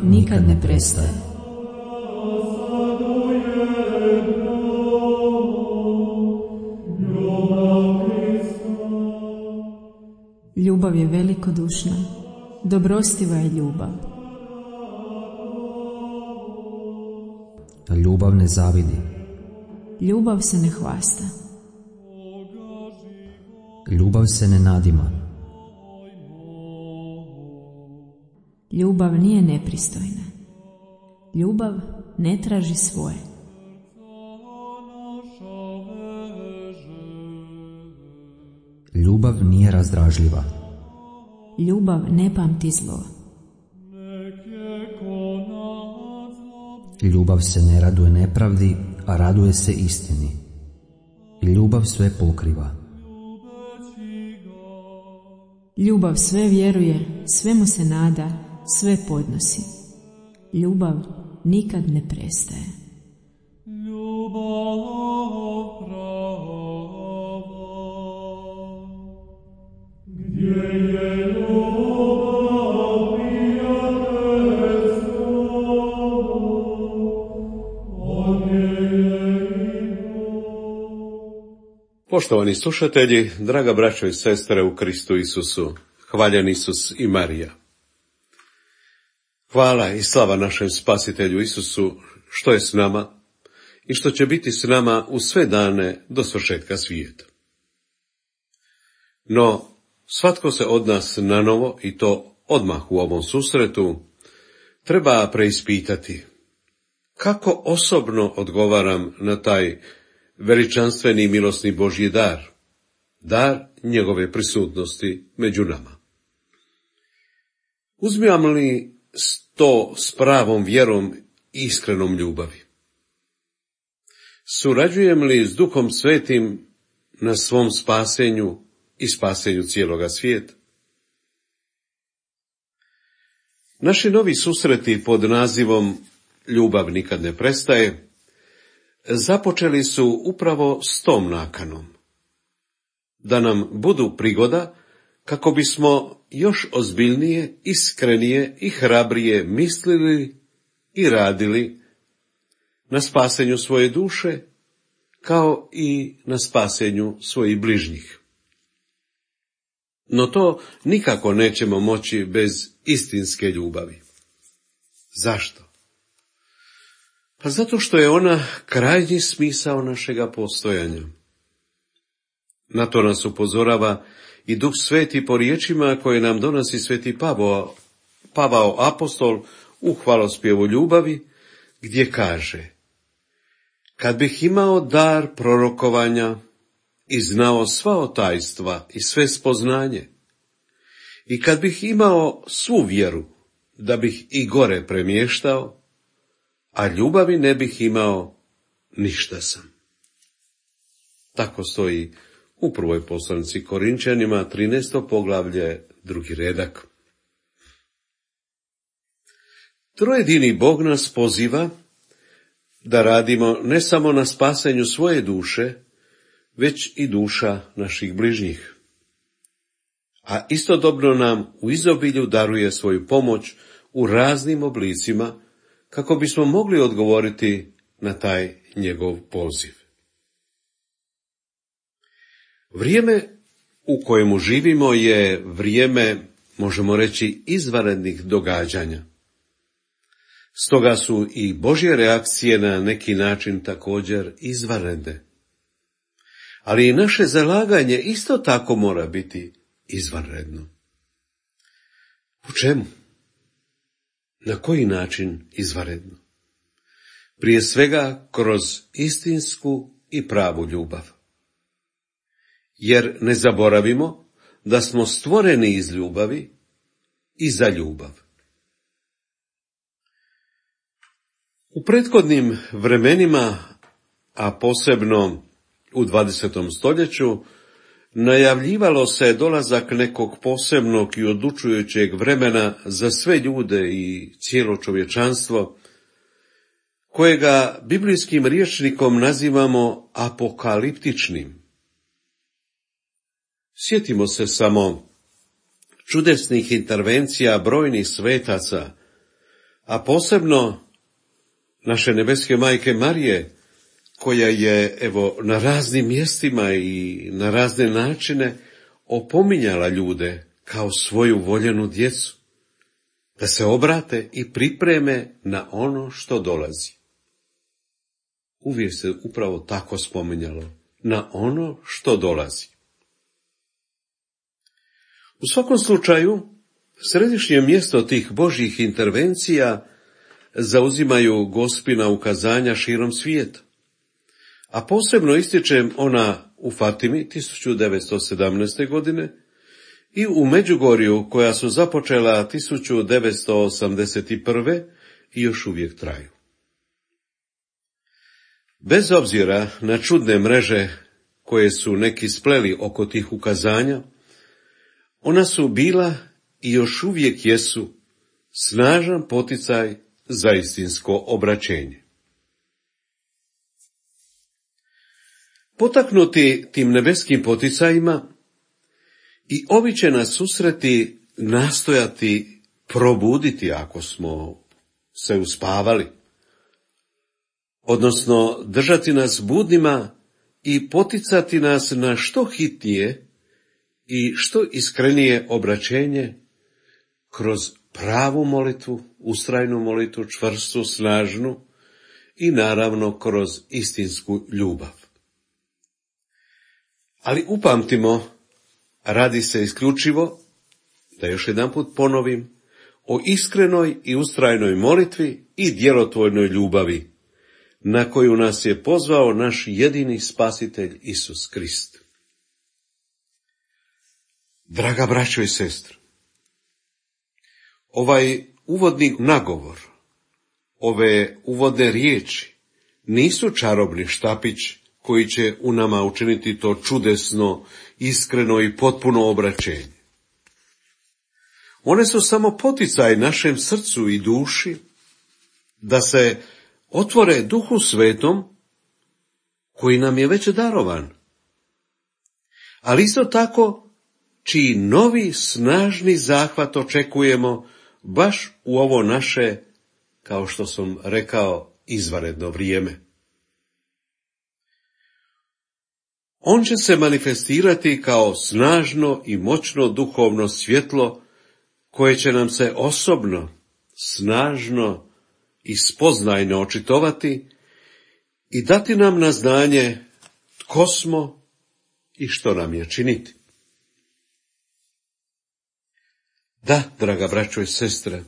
nikad ne prestaje. Ljubav je velikodušna, dobrostiva je ljubav. Ljubav ne zavidi. Ljubav se ne hvasta. Ljubav se ne nadima. Ljubav nije nepristojna. Ljubav ne traži svoje. Ljubav nije razdražljiva. Ljubav ne pamti zlo. Ljubav se ne raduje nepravdi, a raduje se istini. Ljubav sve pokriva. Ljubav sve vjeruje, svemu se nada, sve podnosi. Ljubav nikad ne prestaje. Poštovani slušatelji, draga braćo i sestre u Kristu Isusu, hvaljen Isus i Marija. Hvala i slava našem Spasitelju Isusu što je s nama i što će biti s nama u sve dane do svršetka svijeta. No, svatko se od nas nanovo, i to odmah u ovom susretu, treba preispitati kako osobno odgovaram na taj veličanstveni i milosni Božji dar njegove prisutnosti među nama. Uzimam li to s pravom vjerom i iskrenom ljubavi? Surađujem li s Duhom Svetim na svom spasenju i spasenju cijeloga svijeta? Naši novi susreti pod nazivom Ljubav nikad ne prestaje započeli su upravo s tom nakanom, da nam budu prigoda kako bismo još ozbiljnije, iskrenije i hrabrije mislili i radili na spasenju svoje duše, kao i na spasenju svojih bližnjih. No to nikako nećemo moći bez istinske ljubavi. Zašto? Pa zato što je ona krajnji smisao našega postojanja. Na to nas upozorava i Duh Sveti po riječima koje nam donosi sveti Pavao apostol u hvalospjevu ljubavi, gdje kaže: kad bih imao dar prorokovanja i znao sva tajstva i sve spoznanje, i kad bih imao svu vjeru da bih i gore premještao, a ljubavi ne bih imao, ništa sam. Tako stoji u prvoj poslanici Korinčanima, 13. poglavlje, 2. redak. Trojedini Bog nas poziva da radimo ne samo na spasenju svoje duše, već i duša naših bližnjih. A istodobno nam u izobilju daruje svoju pomoć u raznim oblicima, kako bismo mogli odgovoriti na taj njegov poziv. Vrijeme u kojemu živimo je vrijeme, možemo reći, izvanrednih događanja. Stoga su i Božje reakcije na neki način također izvanredne. Ali i naše zalaganje isto tako mora biti izvanredno. U čemu? Na koji način izvanredno? Prije svega kroz istinsku i pravu ljubav. Jer ne zaboravimo da smo stvoreni iz ljubavi i za ljubav. U prethodnim vremenima, a posebno u 20. stoljeću, najavljivalo se dolazak nekog posebnog i odlučujućeg vremena za sve ljude i cijelo čovječanstvo, kojega biblijskim rječnikom nazivamo apokaliptičnim. Sjetimo se samo čudesnih intervencija brojnih svetaca, a posebno naše nebeske majke Marije, koja je na raznim mjestima i na razne načine opominjala ljude kao svoju voljenu djecu, da se obrate i pripreme na ono što dolazi. Uvijek se upravo tako spominjalo, na ono što dolazi. U svakom slučaju, središnje mjesto tih Božjih intervencija zauzimaju Gospina ukazanja širom svijeta. A posebno ističem ona u Fatimi 1917. godine i u Međugorju koja su započela 1981. i još uvijek traju. Bez obzira na čudne mreže koje su neki spleli oko tih ukazanja, ona su bila i još uvijek jesu snažan poticaj za istinsko obraćenje. Potaknuti tim nebeskim poticajima, i ovi će nas susreti nastojati probuditi ako smo se uspavali, odnosno držati nas budnima i poticati nas na što hitnije i što iskrenije obraćenje kroz pravu molitvu, ustrajnu molitvu, čvrstu, snažnu i naravno kroz istinsku ljubav. Ali upamtimo, radi se isključivo, da još jedanput ponovim, o iskrenoj i ustrajnoj molitvi i djelotvornoj ljubavi, na koju nas je pozvao naš jedini spasitelj Isus Krist. Draga braćo i sestre, ovaj uvodni nagovor, ove uvodne riječi nisu čarobni štapić koji će u nama učiniti to čudesno, iskreno i potpuno obraćenje. One su samo poticaj našem srcu i duši da se otvore Duhu Svetom koji nam je već darovan, ali isto tako čiji novi snažni zahvat očekujemo baš u ovo naše, kao što sam rekao, izvanredno vrijeme. On će se manifestirati kao snažno i moćno duhovno svjetlo koje će nam se osobno, snažno i spoznajno očitovati i dati nam na znanje tko smo i što nam je činiti. Da, draga braćo i sestre,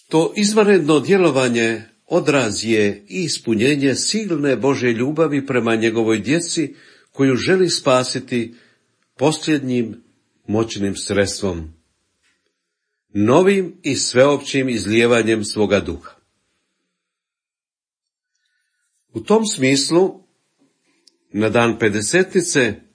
to izvanredno djelovanje odraz je i ispunjenje silne Božje ljubavi prema njegovoj djeci koju želi spasiti posljednjim moćnim sredstvom, novim i sveopćim izlijevanjem svoga duha. U tom smislu, na dan Pedesetnice,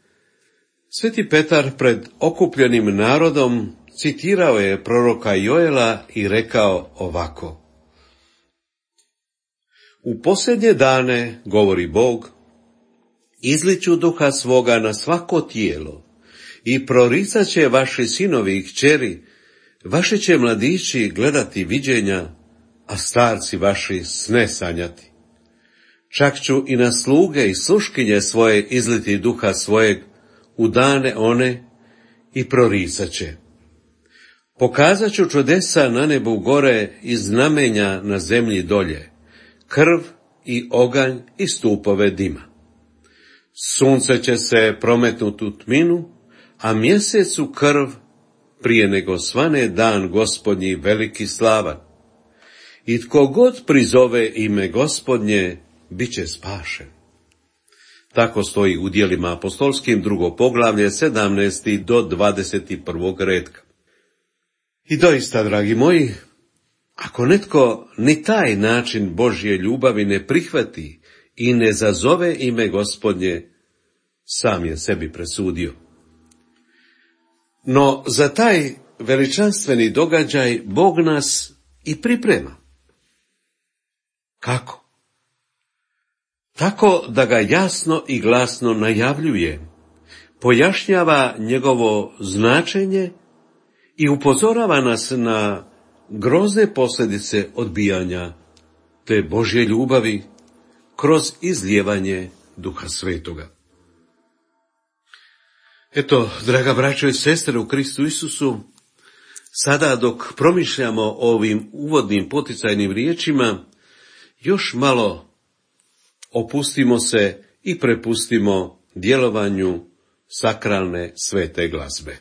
Sveti Petar pred okupljenim narodom citirao je proroka Joela i rekao ovako: U posljednje dane, govori Bog, izliću duha svoga na svako tijelo i proricat će vaši sinovi i kćeri, vaši će mladići gledati viđenja, a starci vaši sne sanjati. Čak ću i na sluge i sluškinje svoje izliti duha svojeg u dane one i proricat će. Pokazat ću čudesa na nebu gore i znamenja na zemlji dolje, krv i oganj i stupove dima. Sunce će se prometnuti u tminu, a mjesecu krv prije nego svane dan Gospodnji veliki slavan. I tko god prizove ime Gospodnje, bit će spašen. Tako stoji u Djelima apostolskim 2. poglavlje 17. do 21. retka. I doista, dragi moji, ako netko ni taj način Božje ljubavi ne prihvati i ne zazove ime Gospodnje, sam je sebi presudio. No za taj veličanstveni događaj Bog nas i priprema. Kako? Tako da ga jasno i glasno najavljuje, pojašnjava njegovo značenje i upozorava nas na grozne posljedice odbijanja te Božje ljubavi kroz izlijevanje Duha Svetoga. Eto, draga braćo i sestre u Kristu Isusu, sada dok promišljamo o ovim uvodnim poticajnim riječima, još malo opustimo se i prepustimo djelovanju sakralne svete glazbe.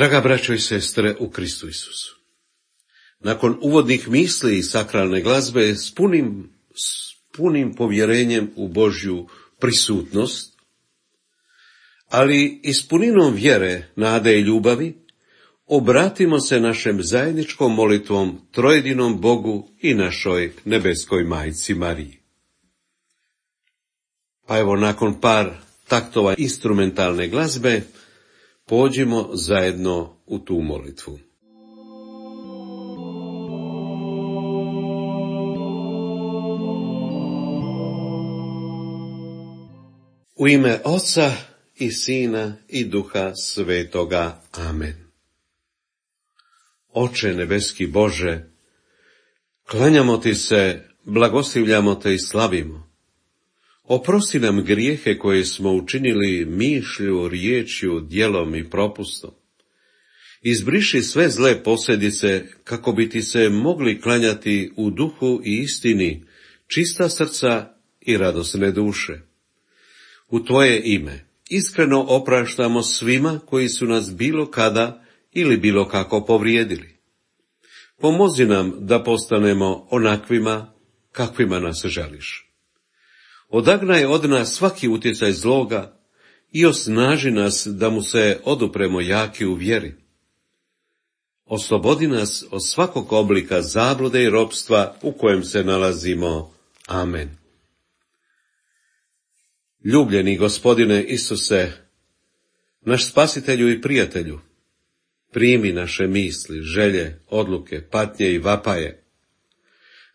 Draga braćo i sestre u Kristu Isusu, nakon uvodnih misli i sakralne glazbe s punim povjerenjem u Božju prisutnost, ali i s puninom vjere, nade i ljubavi, obratimo se našem zajedničkom molitvom trojedinom Bogu i našoj nebeskoj majci Mariji. Pa evo, nakon par taktova instrumentalne glazbe, pođimo zajedno u tu molitvu. U ime Oca i Sina i Duha Svetoga. Amen. Oče nebeski Bože, klanjamo Ti se, blagoslivljamo Te i slavimo. Oprosti nam grijehe koje smo učinili mišlju, riječju, djelom i propustom. Izbriši sve zle posljedice kako bi Ti se mogli klanjati u duhu i istini, čista srca i radosne duše. U Tvoje ime iskreno opraštamo svima koji su nas bilo kada ili bilo kako povrijedili. Pomozi nam da postanemo onakvima kakvima nas želiš. Odagnaj od nas svaki utjecaj zloga i osnaži nas da mu se odupremo jaki u vjeri. Oslobodi nas od svakog oblika zablude i ropstva u kojem se nalazimo. Amen. Ljubljeni Gospodine Isuse, naš spasitelju i prijatelju, primi naše misli, želje, odluke, patnje i vapaje.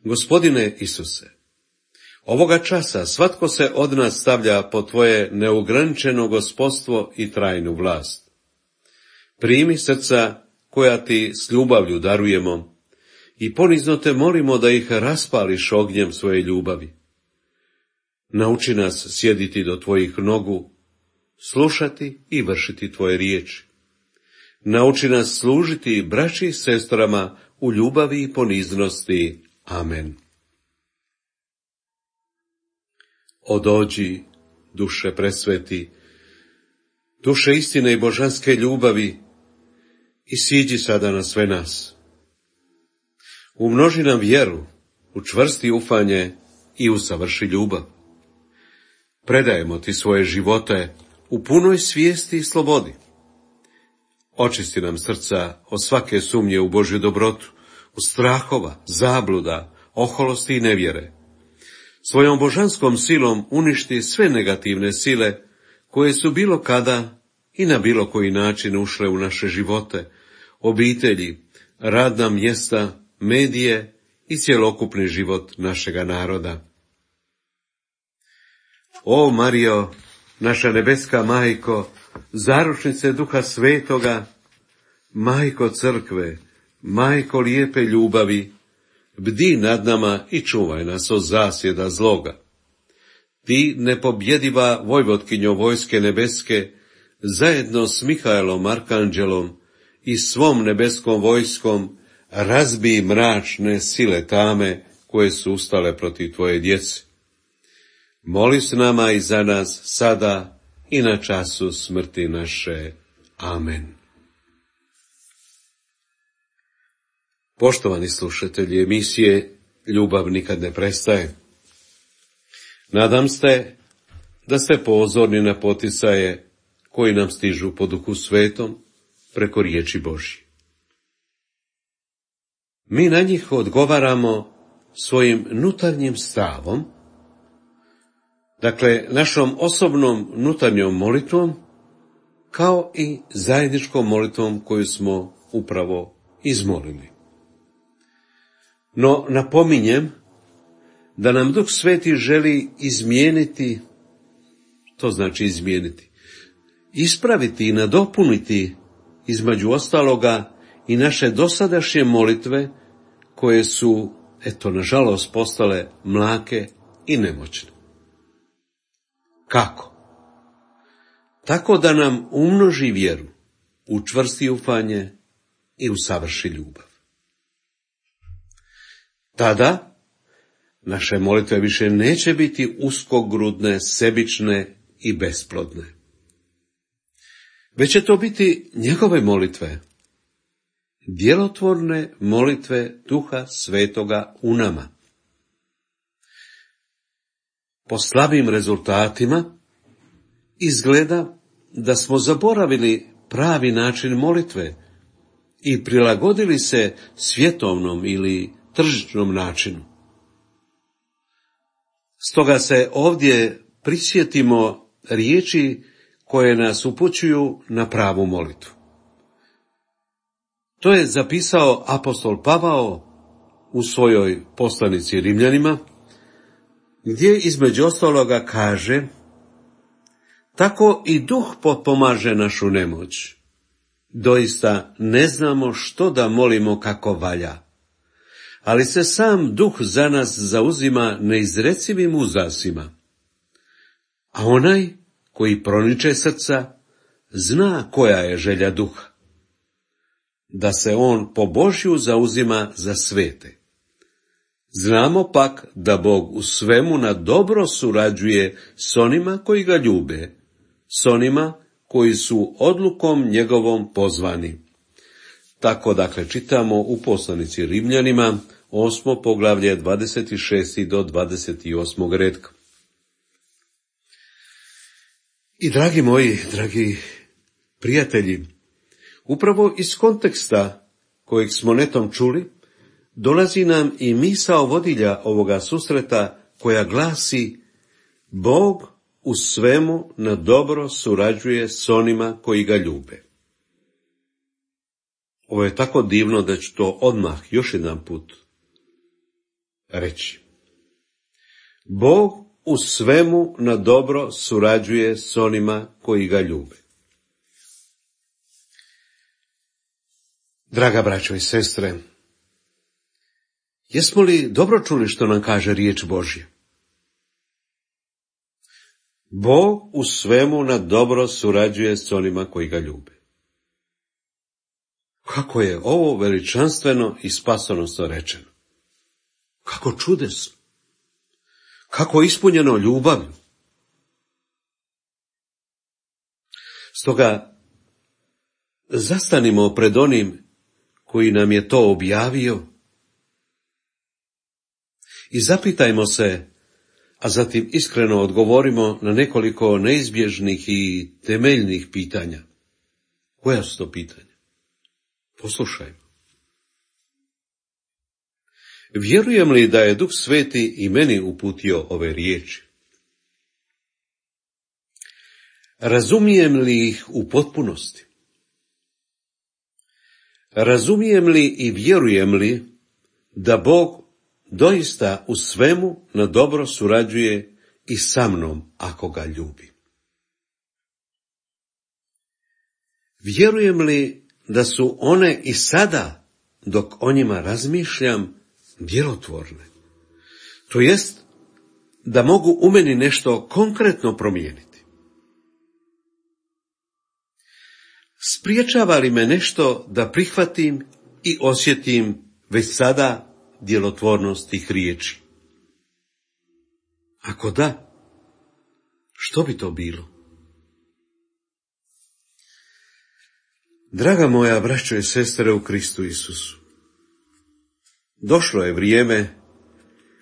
Gospodine Isuse, Ovoga časa svatko se od nas stavlja pod tvoje neograničeno gospodstvo i trajnu vlast. Primi srca koja ti s ljubavlju darujemo i ponizno te molimo da ih raspališ ognjem svoje ljubavi. Nauči nas sjediti do tvojih nogu, slušati i vršiti tvoje riječi. Nauči nas služiti braći i sestrama u ljubavi i poniznosti. Amen. Odođi, duše presveti, duše istine i božanske ljubavi, i siđi sada na sve nas. Umnoži nam vjeru, učvrsti ufanje i usavrši ljubav. Predajemo ti svoje živote u punoj svijesti i slobodi. Očisti nam srca od svake sumnje u Božju dobrotu, u strahova, zabluda, oholosti i nevjere. Svojom božanskom silom uništi sve negativne sile koje su bilo kada i na bilo koji način ušle u naše živote, obitelji, radna mjesta, medije i cjelokupni život našega naroda. O Marijo, naša nebeska majko, zaručnice Duha Svetoga, majko crkve, majko lijepe ljubavi, bdi nad nama i čuvaj nas od zasjeda zloga. Ti, nepobjediva vojvotkinjo vojske nebeske, zajedno s Mihaelom Arkanđelom i svom nebeskom vojskom, razbij mračne sile tame koje su ustale protiv tvoje djece. Moli s nama i za nas sada i na času smrti naše. Amen. Poštovani slušatelji emisije Ljubav nikad ne prestaje. Nadam se da ste pozorni na poticaje koji nam stižu po Duhu Svetom preko riječi Božje. Mi na njih odgovaramo svojim nutarnjim stavom, dakle našom osobnom nutarnjom molitvom, kao i zajedničkom molitvom koju smo upravo izmolili. No napominjem da nam Duh Sveti želi izmijeniti, to znači izmijeniti, ispraviti i nadopuniti između ostaloga i naše dosadašnje molitve koje su, nažalost, postale mlake i nemoćne. Kako? Tako da nam umnoži vjeru, učvrsti ufanje i usavrši ljubav. Tada naše molitve više neće biti uskogrudne, sebične i besplodne. Već će to biti njegove molitve, djelotvorne molitve Duha Svetoga u nama. Po slabim rezultatima izgleda da smo zaboravili pravi način molitve i prilagodili se svjetovnom ili tržišnom načinu. Stoga se ovdje prisjetimo riječi koje nas upućuju na pravu molitvu. To je zapisao apostol Pavao u svojoj poslanici Rimljanima, gdje između ostaloga kaže: tako i Duh potpomaže našu nemoć. Doista ne znamo što da molimo kako valja, ali se sam Duh za nas zauzima neizrecivim uzdasima. A onaj koji proniče srca zna koja je želja Duha, da se on po Božju zauzima za svete. Znamo pak da Bog u svemu na dobro surađuje s onima koji ga ljube, s onima koji su odlukom njegovom pozvani. Tako dakle čitamo u poslanici Rimljanima, 8. poglavlje, 26. do 28. retka. I dragi moji, dragi prijatelji, upravo iz konteksta kojeg smo netom čuli, dolazi nam i misao vodilja ovoga susreta koja glasi: Bog u svemu na dobro surađuje s onima koji ga ljube. Ovo je tako divno da ću to odmah još jedan put reći. Bog u svemu na dobro surađuje s onima koji ga ljube. Draga braćo i sestre, jesmo li dobro čuli što nam kaže riječ Božja? Bog u svemu na dobro surađuje s onima koji ga ljube. Kako je ovo veličanstveno i spasonosno rečeno. Kako čudesno. Kako ispunjeno ljubavlju. Stoga zastanimo pred onim koji nam je to objavio i zapitajmo se, a zatim iskreno odgovorimo na nekoliko neizbježnih i temeljnih pitanja. Koja su to pitanja? Poslušajmo. Vjerujem li da je Duh Sveti i meni uputio ove riječi? Razumijem li ih u potpunosti? Razumijem li i vjerujem li da Bog doista u svemu na dobro surađuje i sa mnom ako ga ljubi? Vjerujem li da su one i sada, dok o njima razmišljam, djelotvorne? To jest, da mogu u meni nešto konkretno promijeniti. Spriječava li me nešto da prihvatim i osjetim već sada djelotvornost tih riječi? Ako da, što bi to bilo? Draga moja braćo i sestre u Kristu Isusu, došlo je vrijeme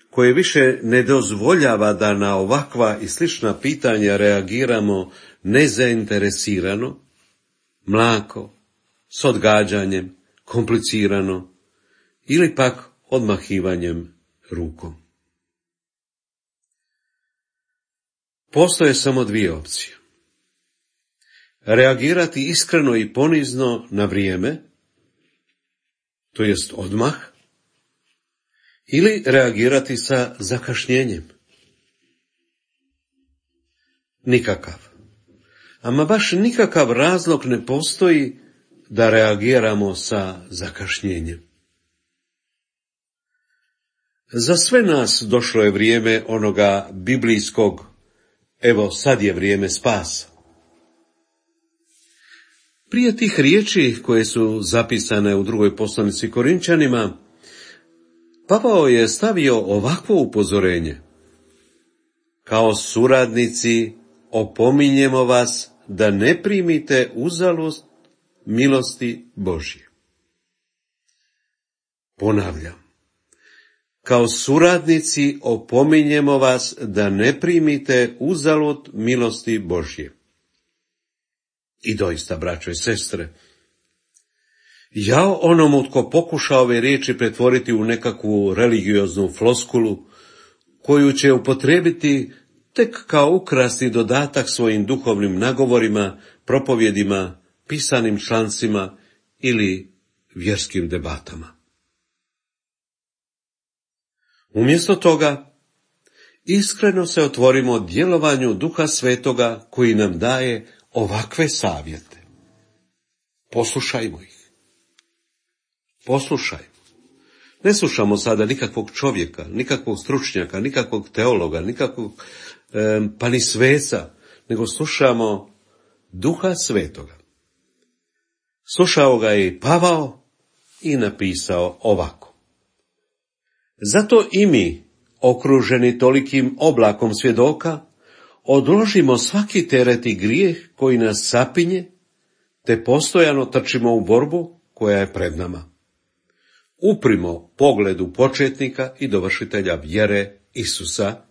koje više ne dozvoljava da na ovakva i slična pitanja reagiramo nezainteresirano, mlako, s odgađanjem, komplicirano ili pak odmahivanjem rukom. Postoje samo dvije opcije. Reagirati iskreno i ponizno na vrijeme, to jest odmah, ili reagirati sa zakašnjenjem. Nikakav. Ama baš nikakav razlog ne postoji da reagiramo sa zakašnjenjem. Za sve nas došlo je vrijeme onoga biblijskog, evo sad je vrijeme spasa. Prije tih riječi koje su zapisane u drugoj poslanici Korinčanima, Pavao je stavio ovakvo upozorenje. Kao suradnici opominjemo vas da ne primite uzalud milosti Božje. Ponavljam. Kao suradnici opominjemo vas da ne primite uzalud milosti Božje. I doista, braćo i sestre, jao onomu tko pokuša ove riječi pretvoriti u nekakvu religioznu floskulu, koju će upotrijebiti tek kao ukrasni dodatak svojim duhovnim nagovorima, propovjedima, pisanim člancima ili vjerskim debatama. Umjesto toga, iskreno se otvorimo djelovanju Duha Svetoga koji nam daje ovakve savjete. Poslušajmo ih. Poslušajmo. Ne slušamo sada nikakvog čovjeka, nikakvog stručnjaka, nikakvog teologa, nikakvog pa ni sveca, nego slušamo Duha Svetoga. Slušao ga je i Pavao i napisao ovako. Zato i mi, okruženi tolikim oblakom svjedoka, odložimo svaki teret i grijeh koji nas sapinje, te postojano trčimo u borbu koja je pred nama. Uprimo pogledu početnika i dovršitelja vjere Isusa,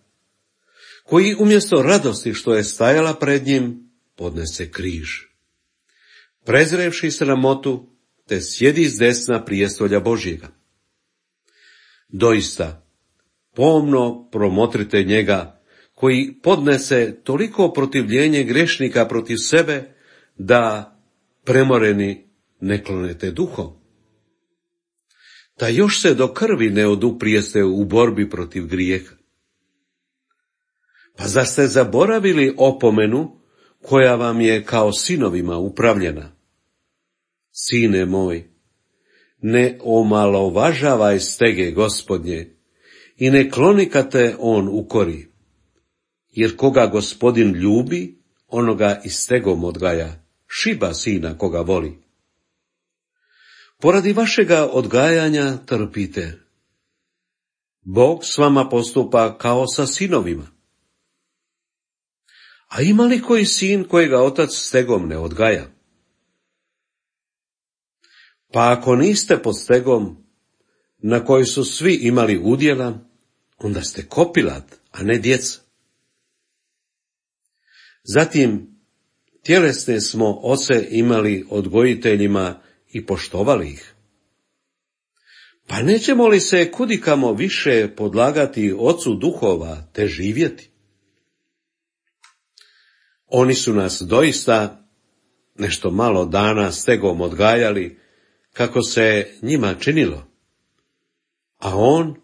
koji umjesto radosti što je stajala pred njim, podnese križ. Prezrevši sramotu, te sjedi s desna prijestolja Božjega. Doista, pomno promotrite njega, koji podnese toliko protivljenje grešnika protiv sebe, da premoreni ne klonete duhom. Da još se do krvi ne oduprijeste u borbi protiv grijeha. Pa zar ste zaboravili opomenu koja vam je kao sinovima upravljena? Sine moj, ne omalovažavaj stege Gospodnje i ne kloni kad te on ukori, jer koga Gospodin ljubi, onoga i stegom odgaja, šiba sina koga voli. Poradi vašega odgajanja trpite. Bog s vama postupa kao sa sinovima. A ima li koji sin kojega otac stegom ne odgaja? Pa ako niste pod stegom, na koji su svi imali udjela, onda ste kopilat, a ne djeca. Zatim, tjelesne smo oce imali odgojiteljima i poštovali ih. Pa nećemo li se kudikamo više podlagati ocu duhova te živjeti? Oni su nas doista nešto malo dana stegom odgajali, kako se njima činilo, a on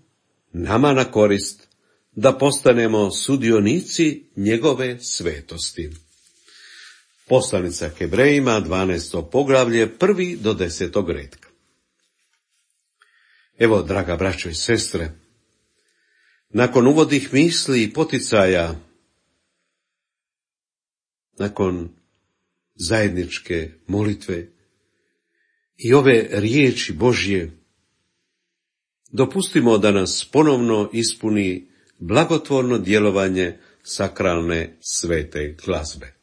nama na korist, da postanemo sudionici njegove svetosti. Poslanica Hebrejima, 12. poglavlje, 1. do 10. retka. Evo, draga braćo i sestre, nakon uvodnih misli i poticaja, nakon zajedničke molitve i ove riječi Božje, dopustimo da nas ponovno ispuni blagotvorno djelovanje sakralne svete glazbe.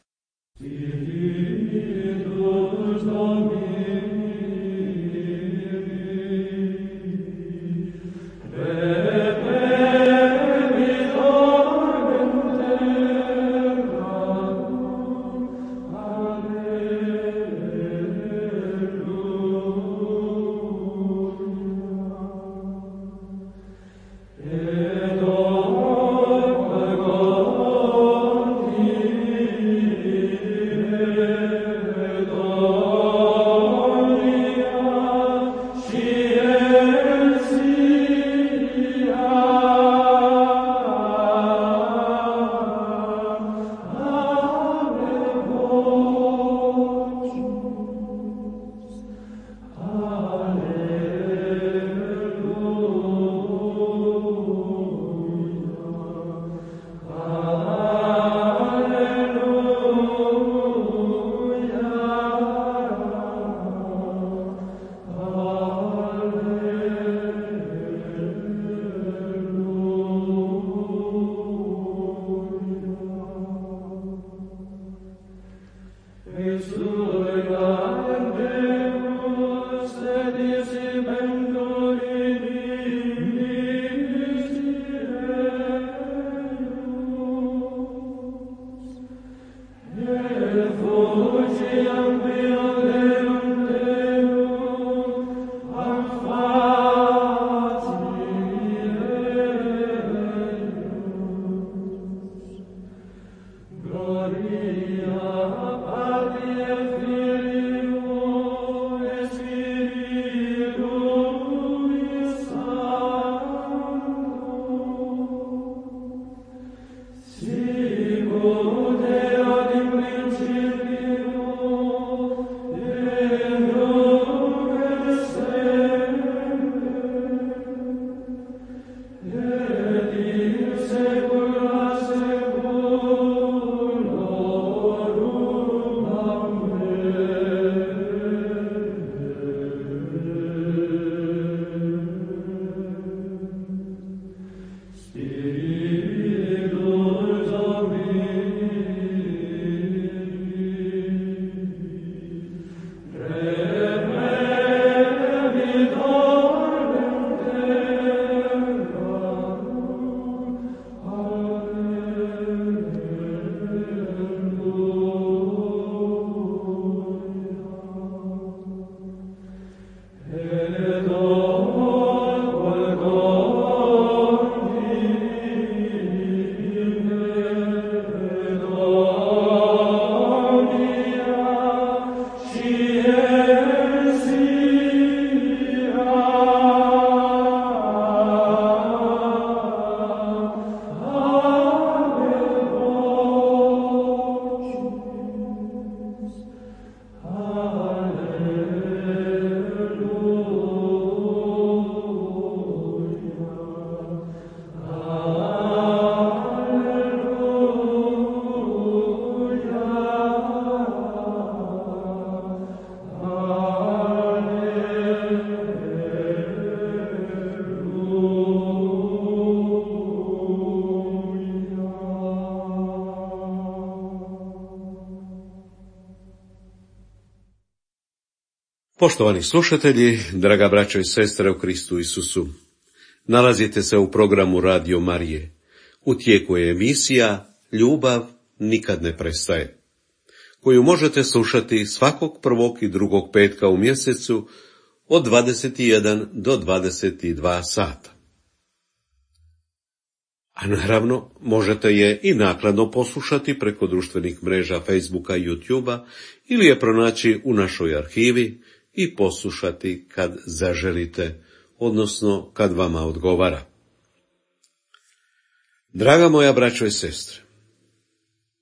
Poštovani slušatelji, draga braćo i sestre u Kristu Isusu, nalazite se u programu Radio Marije. U tijeku je emisija Ljubav nikad ne prestaje, koju možete slušati svakog prvog i drugog petka u mjesecu od 21 do 22 sata. A naravno, možete je i naknadno poslušati preko društvenih mreža Facebooka i YouTubea ili je pronaći u našoj arhivi i poslušati kad zaželite, odnosno kad vama odgovara. Draga moja braćo i sestre,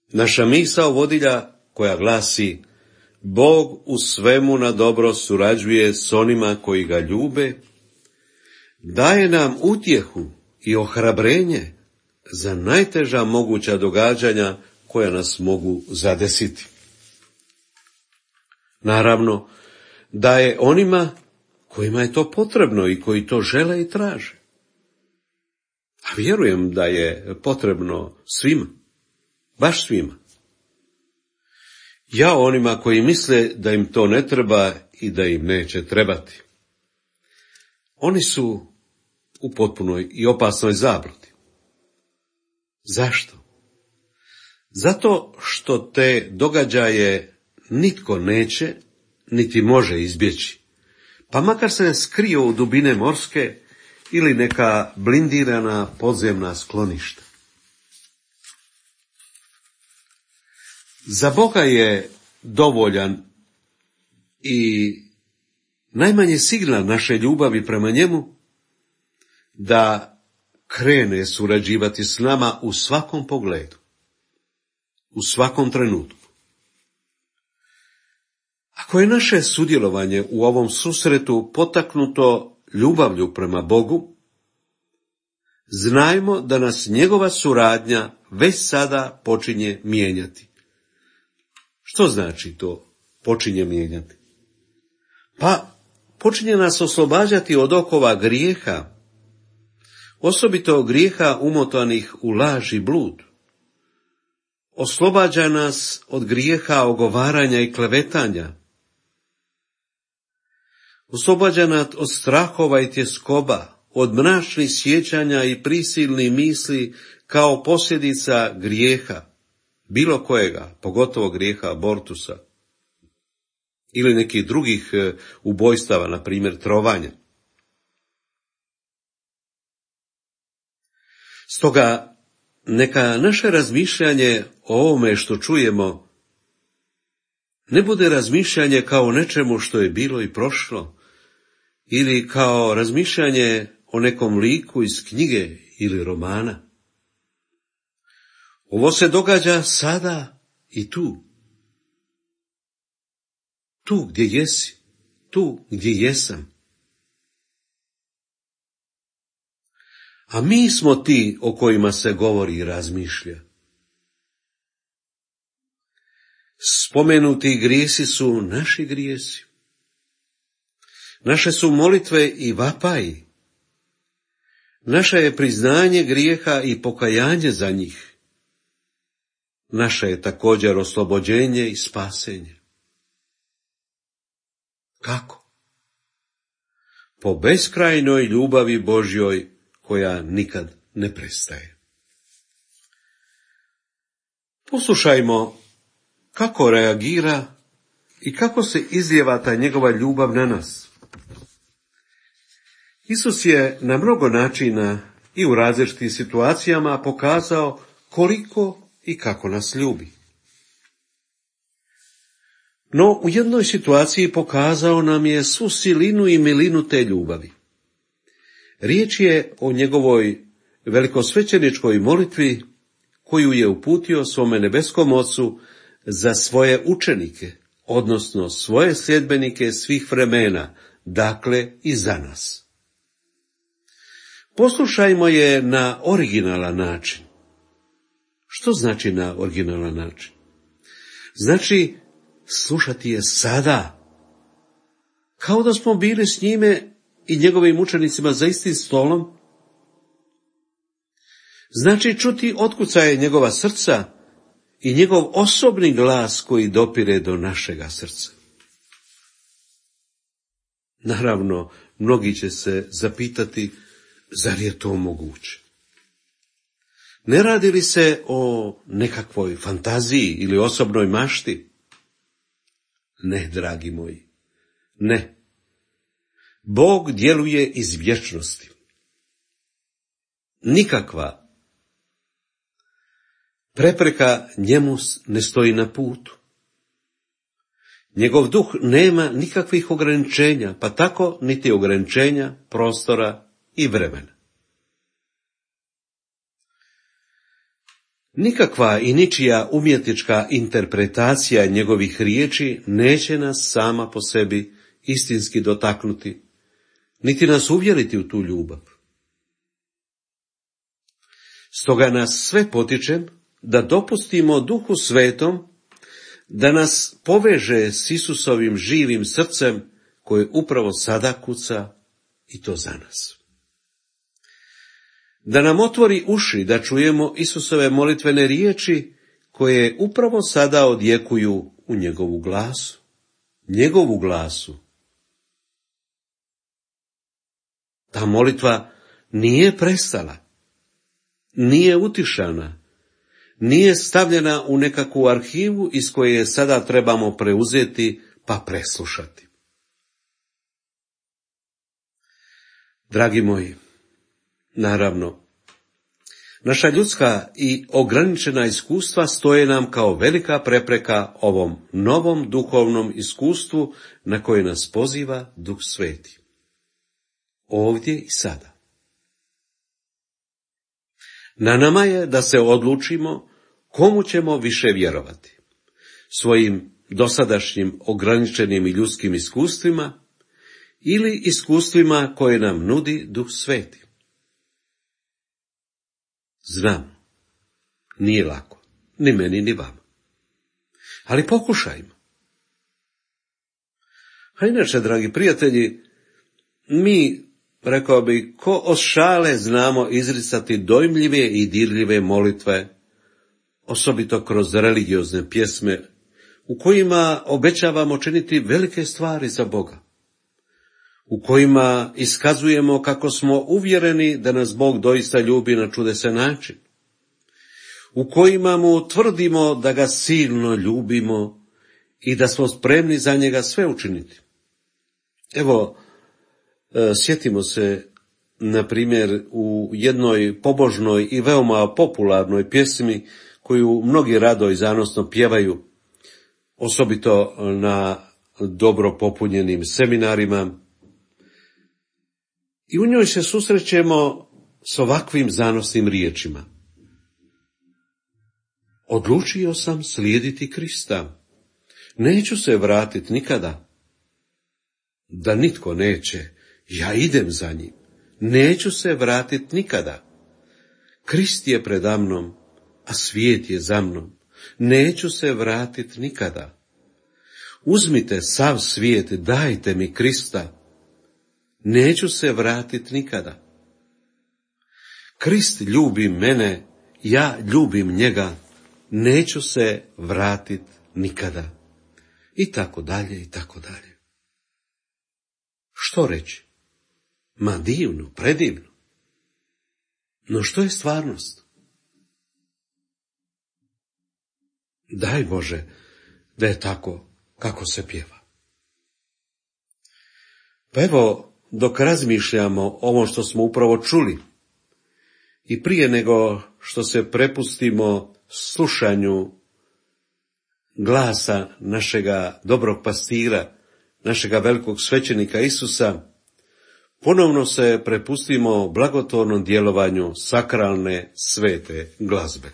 naša misao vodilja koja glasi: Bog u svemu na dobro surađuje s onima koji ga ljube, daje nam utjehu i ohrabrenje za najteža moguća događanja koja nas mogu zadesiti. Naravno, daje onima kojima je to potrebno i koji to žele i traže. A vjerujem da je potrebno svima, baš svima. Ja onima koji misle da im to ne treba i da im neće trebati. Oni su u potpunoj i opasnoj zabludi. Zašto? Zato što te događaje nitko neće niti može izbjeći, pa makar se skrio u dubine morske ili neka blindirana podzemna skloništa. Za Boga je dovoljan i najmanji signal naše ljubavi prema njemu da krene surađivati s nama u svakom pogledu, u svakom trenutku. Ako je naše sudjelovanje u ovom susretu potaknuto ljubavlju prema Bogu, znajmo da nas njegova suradnja već sada počinje mijenjati. Što znači to počinje mijenjati? Pa počinje nas oslobađati od okova grijeha, osobito grijeha umotanih u laž i blud. Oslobađa nas od grijeha ogovaranja i klevetanja. Oslobađa nas od strahova i tjeskoba, od mračnih sjećanja i prisilnih misli kao posljedica grijeha, bilo kojega, pogotovo grijeha abortusa ili nekih drugih ubojstava, na primjer trovanja. Stoga neka naše razmišljanje o ovome što čujemo ne bude razmišljanje kao nečemu što je bilo i prošlo, ili kao razmišljanje o nekom liku iz knjige ili romana. Ovo se događa sada i tu. Tu gdje jesi, tu gdje jesam. A mi smo ti o kojima se govori i razmišlja. Spomenuti grijesi su naši grijesi. Naše su molitve i vapaji. Naše je priznanje grijeha i pokajanje za njih. Naše je također oslobođenje i spasenje. Kako? Po beskrajnoj ljubavi Božjoj koja nikad ne prestaje. Poslušajmo kako reagira i kako se izlijeva ta njegova ljubav na nas. Isus je na mnogo načina i u različitim situacijama pokazao koliko i kako nas ljubi. No, u jednoj situaciji pokazao nam je svu silinu i milinu te ljubavi. Riječ je o njegovoj velikosvećeničkoj molitvi koju je uputio svome nebeskom Ocu za svoje učenike, odnosno svoje sljedbenike svih vremena, dakle i za nas. Poslušajmo je na originalan način. Što znači na originalan način? Znači slušati je sada, kao da smo bili s njime i njegovim učenicima za istim stolom. Znači čuti otkucaje njegova srca i njegov osobni glas koji dopire do našega srca. Naravno, mnogi će se zapitati, zar je to moguće? Ne radi li se o nekakvoj fantaziji ili osobnoj mašti? Ne, dragi moji, ne. Bog djeluje iz vječnosti. Nikakva prepreka njemu ne stoji na putu. Njegov duh nema nikakvih ograničenja, pa tako niti ograničenja prostora i vremena. Nikakva i ničija umjetnička interpretacija njegovih riječi neće nas sama po sebi istinski dotaknuti, niti nas uvjeriti u tu ljubav. Stoga nas sve potičem da dopustimo Duhu Svetom da nas poveže s Isusovim živim srcem koje upravo sada kuca i to za nas. Da nam otvori uši da čujemo Isusove molitvene riječi koje upravo sada odjekuju u njegovu glasu. Njegovu glasu. Ta molitva nije prestala, nije utišana, nije stavljena u nekakvu arhivu iz koje je sada trebamo preuzeti pa preslušati. Dragi moji, naravno, naša ljudska i ograničena iskustva stoje nam kao velika prepreka ovom novom duhovnom iskustvu na koje nas poziva Duh Sveti. Ovdje i sada. Na nama je da se odlučimo komu ćemo više vjerovati. Svojim dosadašnjim ograničenim i ljudskim iskustvima ili iskustvima koje nam nudi Duh Sveti. Znam, nije lako, ni meni ni vama. Ali pokušajmo. A inače, dragi prijatelji, mi, rekao bi, ko od šale znamo izricati dojmljive i dirljive molitve, osobito kroz religiozne pjesme, u kojima obećavamo činiti velike stvari za Boga, u kojima iskazujemo kako smo uvjereni da nas Bog doista ljubi na čudesan način, u kojima mu tvrdimo da ga silno ljubimo i da smo spremni za njega sve učiniti. Evo, sjetimo se, na primjer, u jednoj pobožnoj i veoma popularnoj pjesmi koju mnogi rado i zanosno pjevaju, osobito na dobro popunjenim seminarima, i u njoj se susrećemo s ovakvim zanosnim riječima. Odlučio sam slijediti Krista. Neću se vratiti nikada. Da nitko neće, ja idem za njim. Neću se vratiti nikada. Krist je preda mnom, a svijet je za mnom. Neću se vratiti nikada. Uzmite sav svijet, dajte mi Krista. Neću se vratiti nikada. Krist ljubi mene, ja ljubim njega, neću se vratiti nikada. I tako dalje, i tako dalje. Što reći? Ma divno, predivno. No što je stvarnost? Daj Bože da je tako kako se pjeva. Pa evo, dok razmišljamo ovo što smo upravo čuli, i prije nego što se prepustimo slušanju glasa našega dobrog pastira, našega velikog svećenika Isusa, ponovno se prepustimo blagotvornom djelovanju sakralne svete glazbe.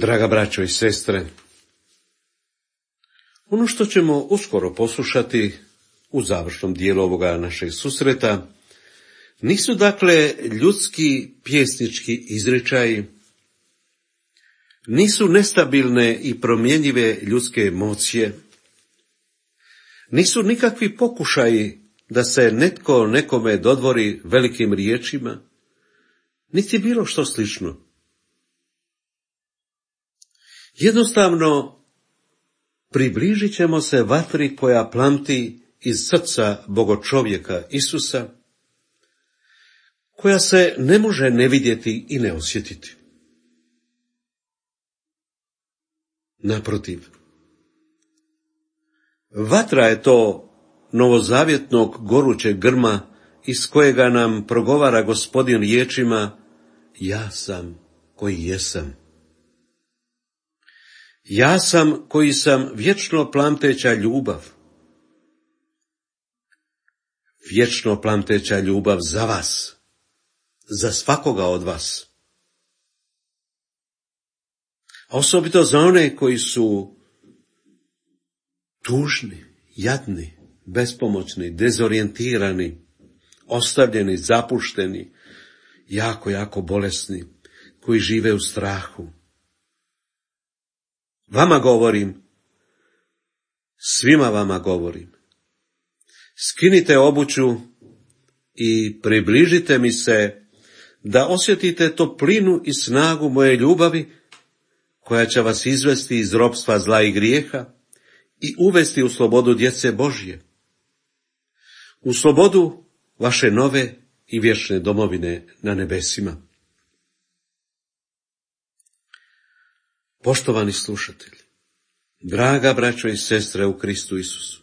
Draga braćo i sestre, ono što ćemo uskoro poslušati u završnom dijelu ovoga našeg susreta nisu dakle ljudski pjesnički izričaji, nisu nestabilne i promjenjive ljudske emocije, nisu nikakvi pokušaji da se netko nekome dodvori velikim riječima, niti bilo što slično. Jednostavno, približit ćemo se vatri koja plamti iz srca Bogočovjeka Isusa, koja se ne može ne vidjeti i ne osjetiti. Naprotiv, vatra je to novozavjetnog gorućeg grma iz kojega nam progovara Gospodin riječima: ja sam koji jesam. Ja sam koji sam vječno plamteća ljubav. Vječno plamteća ljubav za vas, za svakoga od vas. A osobito za one koji su tužni, jadni, bespomoćni, dezorijentirani, ostavljeni, zapušteni, jako bolesni, koji žive u strahu. Vama govorim, svima vama govorim. Skinite obuću i približite mi se da osjetite toplinu i snagu moje ljubavi koja će vas izvesti iz ropstva zla i grijeha i uvesti u slobodu djece Božje, u slobodu vaše nove i vječne domovine na nebesima. Poštovani slušatelji, draga braćo i sestre u Kristu Isusu,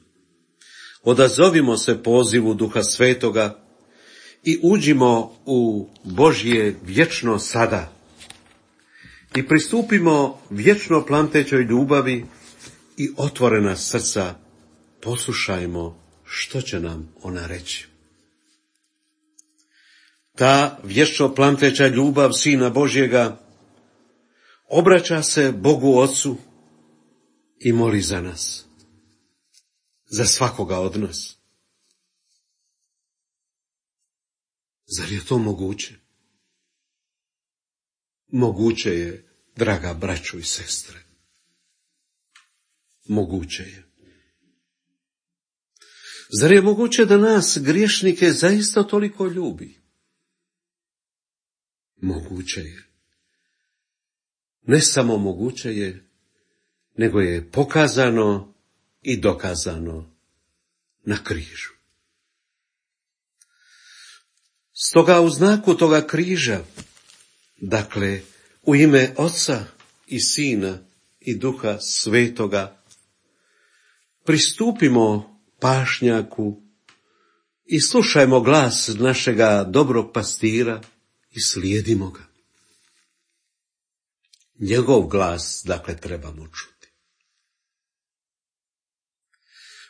odazovimo se pozivu Duha Svetoga i uđimo u Božje vječno sada i pristupimo vječno plamtećoj ljubavi i otvorena srca poslušajmo što će nam ona reći. Ta vječno plamteća ljubav Sina Božjega obraća se Bogu Ocu i moli za nas, za svakoga od nas. Zar je to moguće? Moguće je, draga braćo i sestre. Moguće je. Zar je moguće da nas, griješnike, zaista toliko ljubi? Moguće je. Ne samo moguće je, nego je pokazano i dokazano na križu. Stoga u znaku toga križa, dakle u ime Oca i Sina i Duha Svetoga, pristupimo pašnjaku i slušajmo glas našega dobrog pastira i slijedimo ga. Njegov glas, dakle, trebamo čuti.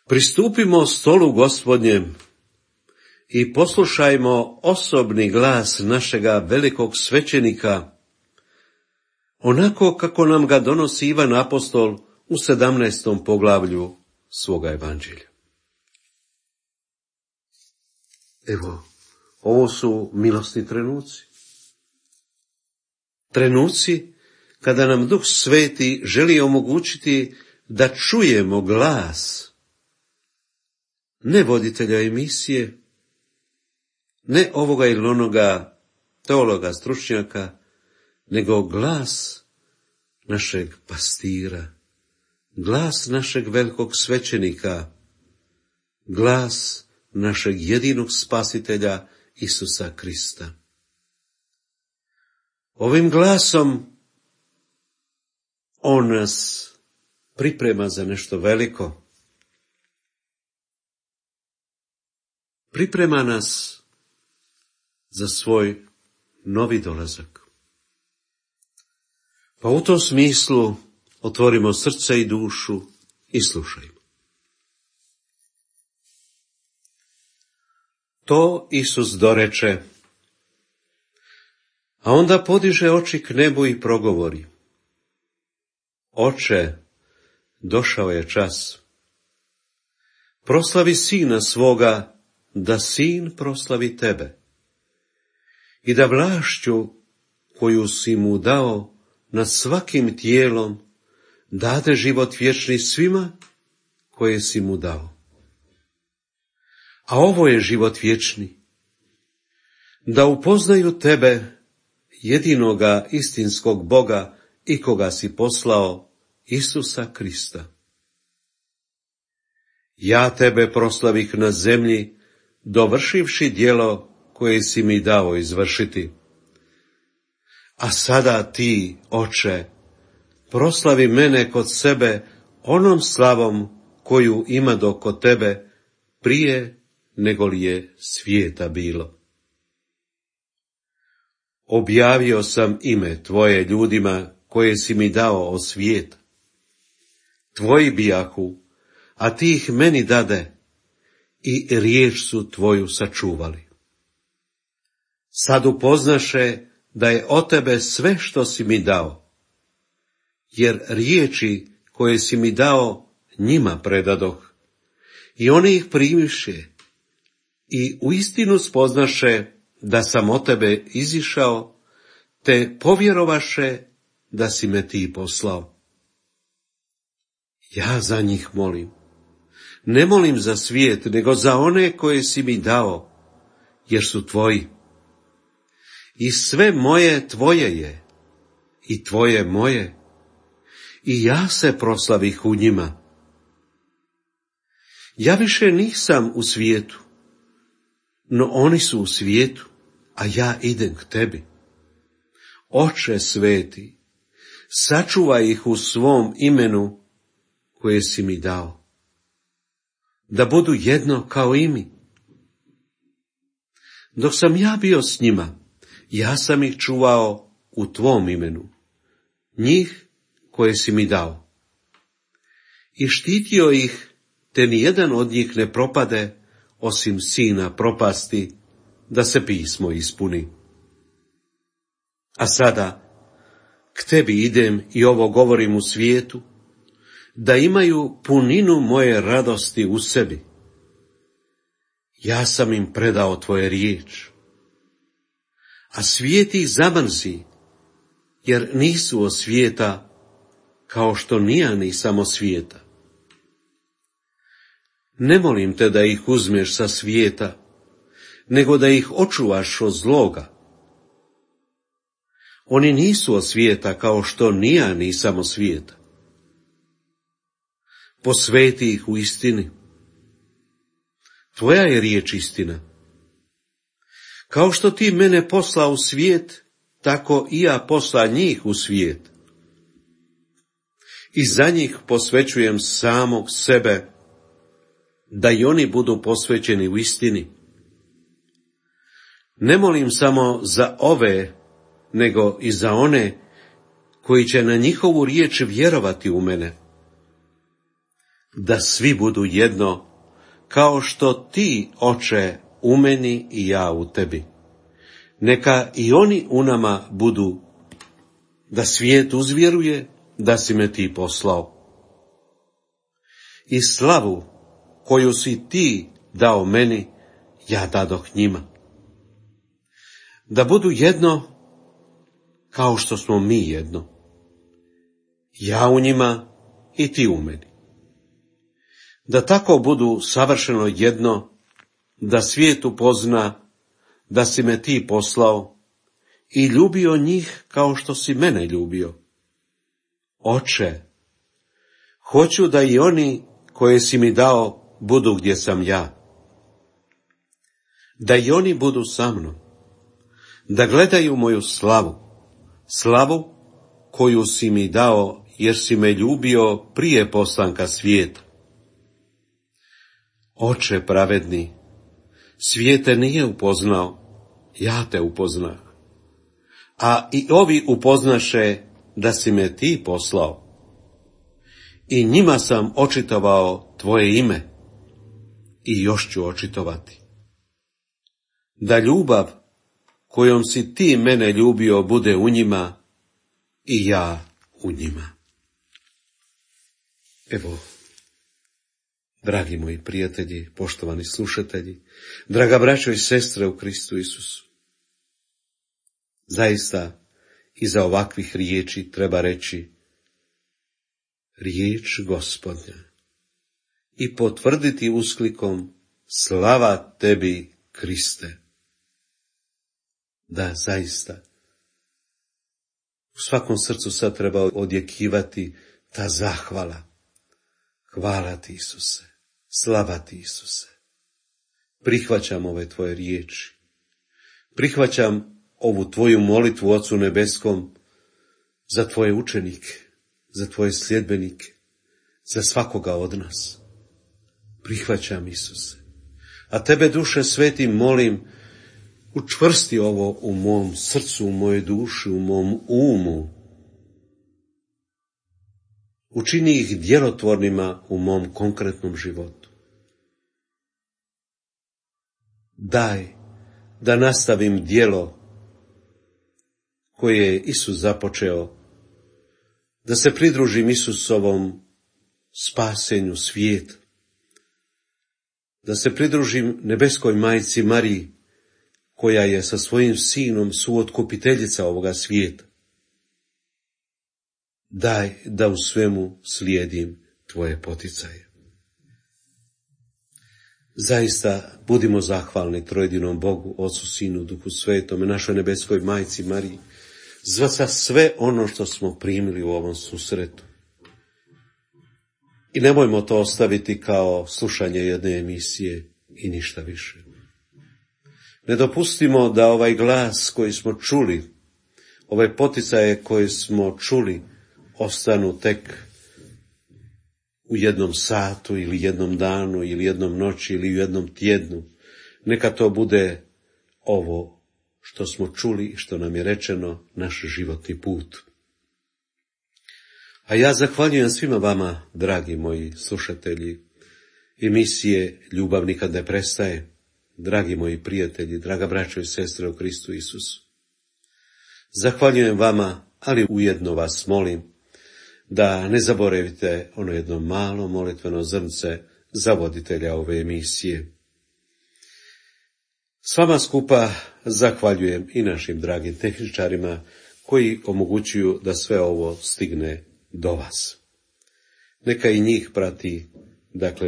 Pristupimo stolu Gospodnjem i poslušajmo osobni glas našega velikog svećenika, onako kako nam ga donosi Ivan Apostol u 17. poglavlju svoga evanđelja. Evo, ovo su milosni trenuci. Trenuci kada nam Duh Sveti želi omogućiti da čujemo glas, ne voditelja emisije, ne ovoga ili onoga teologa, stručnjaka, nego glas našeg pastira, glas našeg velikog svećenika, glas našeg jedinog spasitelja Isusa Krista. Ovim glasom on nas priprema za nešto veliko. Priprema nas za svoj novi dolazak. Pa u tom smislu otvorimo srce i dušu i slušajmo. To Isus doreče, a onda podiže oči k nebu i progovori: Oče, došao je čas. Proslavi Sina svoga, da Sin proslavi tebe. I da vlašću koju si mu dao nad svakim tijelom, dade život vječni svima koje si mu dao. A ovo je život vječni, da upoznaju tebe, jedinoga istinskog Boga i koga si poslao, Isusa Krista. Ja tebe proslavih na zemlji, dovršivši djelo koje si mi dao izvršiti. A sada ti, Oče, proslavi mene kod sebe onom slavom koju imadoh kod tebe prije nego li je svijeta bilo. Objavio sam ime tvoje ljudima koje si mi dao od svijeta. Tvoji bijahu, a ti ih meni dade i riječ su tvoju sačuvali. Sad upoznaše da je od tebe sve što si mi dao, jer riječi koje si mi dao njima predadoh, i oni ih primiše, i uistinu spoznaše da sam od tebe izišao, te povjerovaše da si me ti poslao. Ja za njih molim. Ne molim za svijet, nego za one koje si mi dao, jer su tvoji. I sve moje tvoje je, i tvoje moje, i ja se proslavih u njima. Ja više nisam u svijetu, no oni su u svijetu, a ja idem k tebi. Oče sveti, sačuvaj ih u svom imenu koje si mi dao, da budu jedno kao i mi. Dok sam ja bio s njima, ja sam ih čuvao u tvom imenu, njih koje si mi dao. I štitio ih, te nijedan od njih ne propade, osim sina propasti, da se pismo ispuni. A sada, k tebi idem i ovo govorim u svijetu, da imaju puninu moje radosti u sebi. Ja sam im predao tvoje riječ, a svijet ih zamrzi, jer nisu od svijeta, kao što ni ja nisam od svijeta. Ne molim te da ih uzmeš sa svijeta, nego da ih očuvaš od zloga. Oni nisu od svijeta, kao što ni ja nisam od svijeta. Posveti ih u istini. Tvoja je riječ istina. Kao što ti mene poslao u svijet, tako i ja posla njih u svijet. I za njih posvećujem samog sebe, da i oni budu posvećeni u istini. Ne molim samo za ove, nego i za one koji će na njihovu riječ vjerovati u mene. Da svi budu jedno, kao što ti, Oče, u meni i ja u tebi. Neka i oni u nama budu, da svijet uzvjeruje da si me ti poslao. I slavu koju si ti dao meni, ja dadoh njima. Da budu jedno, kao što smo mi jedno. Ja u njima i ti u meni. Da tako budu savršeno jedno, da svijet upozna da si me ti poslao i ljubio njih kao što si mene ljubio. Oče, hoću da i oni koje si mi dao budu gdje sam ja. Da i oni budu sa mnom, da gledaju moju slavu, slavu koju si mi dao jer si me ljubio prije postanka svijeta. Oče pravedni, svijet te nije upoznao, ja te upoznah. A i ovi upoznaše da si me ti poslao. I njima sam očitovao tvoje ime i još ću očitovati. Da ljubav kojom si ti mene ljubio bude u njima i ja u njima. Evo, dragi moji prijatelji, poštovani slušatelji, draga braćo i sestre u Kristu Isusu, zaista iza ovakvih riječi treba reći riječ Gospodnja i potvrditi usklikom slava tebi, Kriste. Da, zaista, u svakom srcu sad treba odjekivati ta zahvala. Hvala ti, Isuse, slava ti, Isuse. Prihvaćam ove tvoje riječi. Prihvaćam ovu tvoju molitvu Ocu Nebeskom za tvoje učenike, za tvoje sljedbenike, za svakoga od nas. Prihvaćam, Isuse. A tebe, Duše Sveti, molim, učvrsti ovo u mom srcu, u mojoj duši, u mom umu. Učini ih djelotvornima u mom konkretnom životu. Daj da nastavim djelo koje je Isus započeo, da se pridružim Isusovom spasenju svijeta, da se pridružim nebeskoj majci Mariji, koja je sa svojim sinom suotkupiteljica ovoga svijeta. Daj da u svemu slijedim tvoje poticaje. Zaista budimo zahvalni trojedinom Bogu, Ocu, Sinu, Duhu Svetome, našoj nebeskoj majci Mariji, za sve ono što smo primili u ovom susretu. I nemojmo to ostaviti kao slušanje jedne emisije i ništa više. Ne dopustimo da ovaj glas koji smo čuli, ove poticaje koje smo čuli, ostanu tek u jednom satu ili jednom danu ili jednom noći ili u jednom tjednu. Neka to bude ovo što smo čuli i što nam je rečeno, naš životni put. A ja zahvaljujem svima vama, dragi moji slušatelji, emisije Ljubav nikad ne prestaje, dragi moji prijatelji, draga braćo i sestre u Kristu Isusu. Zahvaljujem vama, ali ujedno vas molim da ne zaboravite ono jedno malo molitveno zrnce za voditelja ove emisije. S vama skupa zahvaljujem i našim dragim tehničarima koji omogućuju da sve ovo stigne do vas. Neka i njih prati,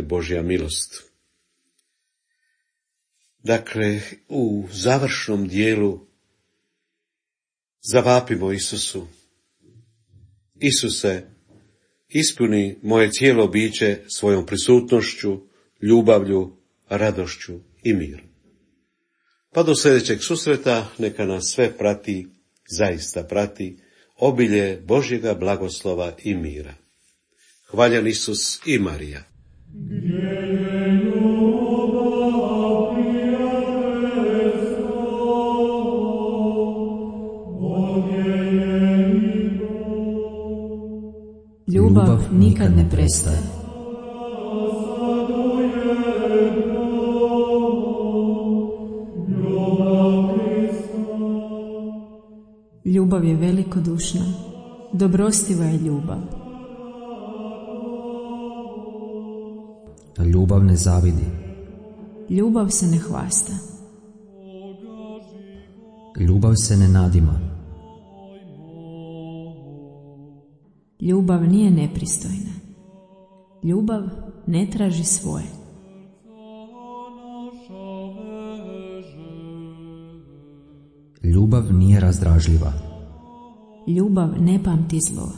Božja milost. U završnom dijelu zavapimo Isusu. Isuse, ispuni moje cijelo biće svojom prisutnošću, ljubavlju, radošću i mirom. Pa do sljedećeg susreta neka nas sve prati, zaista prati, obilje Božjega blagoslova i mira. Hvaljen Isus i Marija. Ljubav nikad ne prestaje. Ljubav je velikodušna, dobrostiva je ljubav. Ljubav ne zavidi. Ljubav se ne hvasta. Ljubav se ne nadima. Ljubav nije nepristojna. Ljubav ne traži svoje. Ljubav nije razdražljiva. Ljubav ne pamti zlo.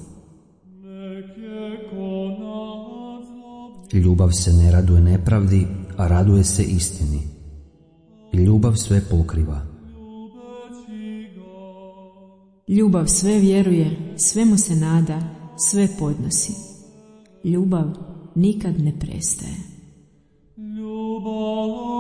Ljubav se ne raduje nepravdi, a raduje se istini. Ljubav sve pokriva. Ljubav sve vjeruje, svemu se nada, sve podnosi. Ljubav nikad ne prestaje. Ljubav